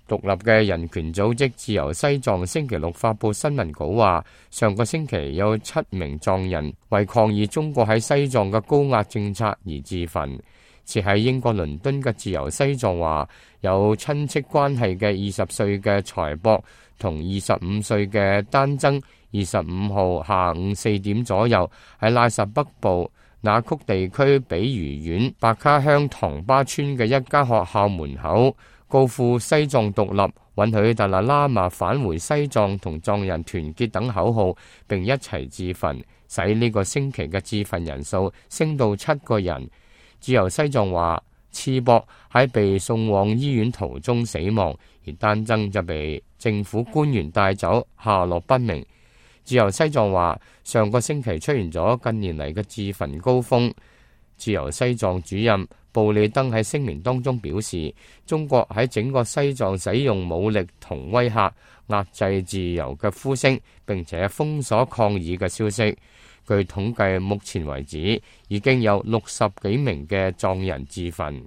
獨立嘅人權組織自由西藏星期六發布新聞稿話，上個星期有7名藏人為抗議中國喺西藏嘅高壓政策而自焚。設喺英國倫敦嘅自由西藏話，有親戚關係嘅20歲嘅財博同25歲嘅丹增25號下午4點左右喺拉薩北部那曲地區比魚縣白卡鄉唐巴村嘅一間學校門口高呼西藏獨立、允許達賴喇嘛返回西藏同藏人團結等口號，並一齊自焚，使呢個星期嘅自焚人數升到7個人。自由西藏話，次博喺被送往醫院途中死亡，而丹增就被政府官員帶走，下落不明。自由西藏話，上個星期出現咗近年嚟嘅自焚高峰。自由西藏主任布里登喺聲明當中表示，中國喺整個西藏使用武力同威嚇壓制自由嘅呼聲，並且封鎖抗議嘅消息。據統計，目前為止已經有60幾名嘅藏人自焚。